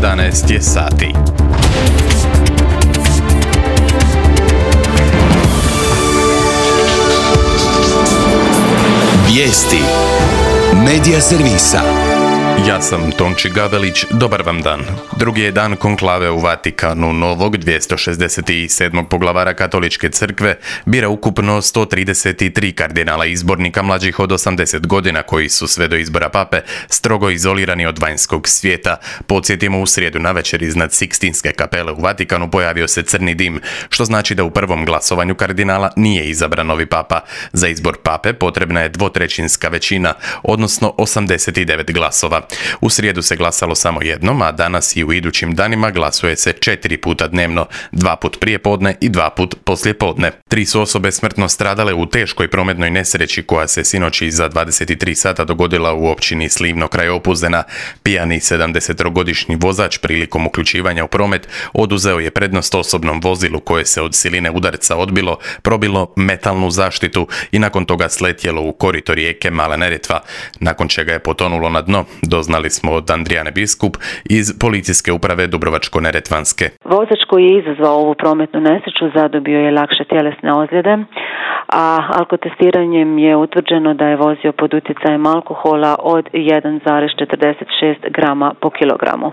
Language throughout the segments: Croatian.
11 je sati. Vijesti Medija servisa. Ja sam Tonči Gavelić, dobar vam dan. Drugi je dan konklave u Vatikanu. Novog 267. poglavara Katoličke crkve bira ukupno 133 kardinala izbornika mlađih od 80 godina koji su sve do izbora pape strogo izolirani od vanjskog svijeta. Podsjetimo, u srijedu navečer iznad Sikstinske kapele u Vatikanu pojavio se crni dim, što znači da u prvom glasovanju kardinala nije izabran novi papa. Za izbor pape potrebna je dvotrećinska većina, odnosno 89 glasova. U srijedu se glasalo samo jednom, a danas i u idućim danima glasuje se 4 puta dnevno, 2 put prije podne i 2 put poslije podne. 3 su osobe smrtno stradale u teškoj prometnoj nesreći koja se sinoć iza 23 sata dogodila u općini Slivno kraj Opuzena. Pijani 70-godišnji vozač prilikom uključivanja u promet oduzeo je prednost osobnom vozilu koje se od siline udarca odbilo, probilo metalnu zaštitu i nakon toga sletjelo u korito rijeke Mala Neretva, nakon čega je potonulo na dno. Doznali smo od Andrijane Biskup iz policijske uprave Dubrovačko-neretvanske. Vozač koji je izazvao ovu prometnu nesreću zadobio je lakše tjelesne ozljede, a alkotestiranjem je utvrđeno da je vozio pod utjecajem alkohola od 1,46 grama po kilogramu.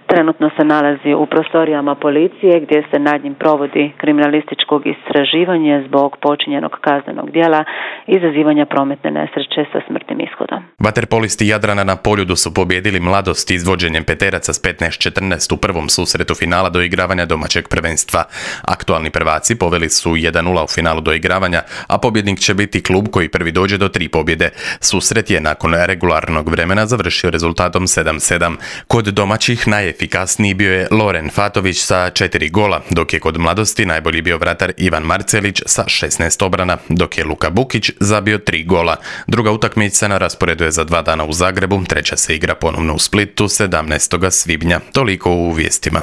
Trenutno se nalazi u prostorijama policije gdje se nad njim provodi kriminalističkog istraživanje zbog počinjenog kaznenog djela izazivanja prometne nesreće sa smrtnim ishodom. Vaterpolisti Jadrana na Poljudu su pobijedili Mladost izvođenjem peteraca s 15-14 u prvom susretu finala doigravanja domaćeg prvenstva. Aktualni prvaci poveli su 1-0 u finalu doigravanja, a pobjednik će biti klub koji prvi dođe do 3 pobjede. Susret je nakon regularnog vremena završio rezultatom 7-7. Kod domaćih najefikasniji bio je Loren Fatović sa 4 gola, dok je kod Mladosti najbolji bio vratar Ivan Marcelić sa 16 obrana, dok je Luka Bukić zabio 3 gola. Druga utakmica na rasporedu je za 2 dana u Zagrebu, treća se igra ponovno u Splitu 17. svibnja. Toliko u vijestima.